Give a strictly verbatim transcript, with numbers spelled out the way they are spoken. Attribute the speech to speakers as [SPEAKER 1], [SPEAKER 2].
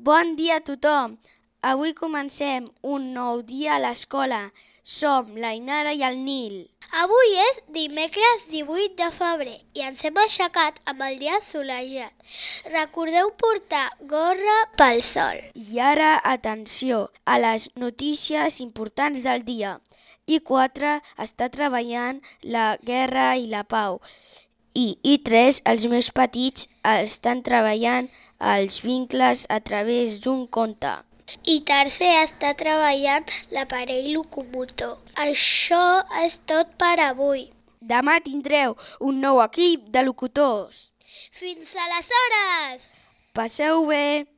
[SPEAKER 1] Bon dia a tothom! Avui comencem un nou dia a l'escola. Som la Inara i el Nil.
[SPEAKER 2] Avui és dimecres divuit de febrer i ens hem aixecat amb el dia assolellat. Recordeu portar gorra pel sol.
[SPEAKER 1] I ara, atenció a les notícies importants del dia. I quatre està treballant la guerra i la pau. I I tres, els més petits, estan treballant els vincles a través d'un conte.
[SPEAKER 2] I tercer està treballant l'aparell locomotor. Això és tot per avui.
[SPEAKER 1] Demà tindreu un nou equip de locutors.
[SPEAKER 2] Fins aleshores!
[SPEAKER 1] Passeu bé!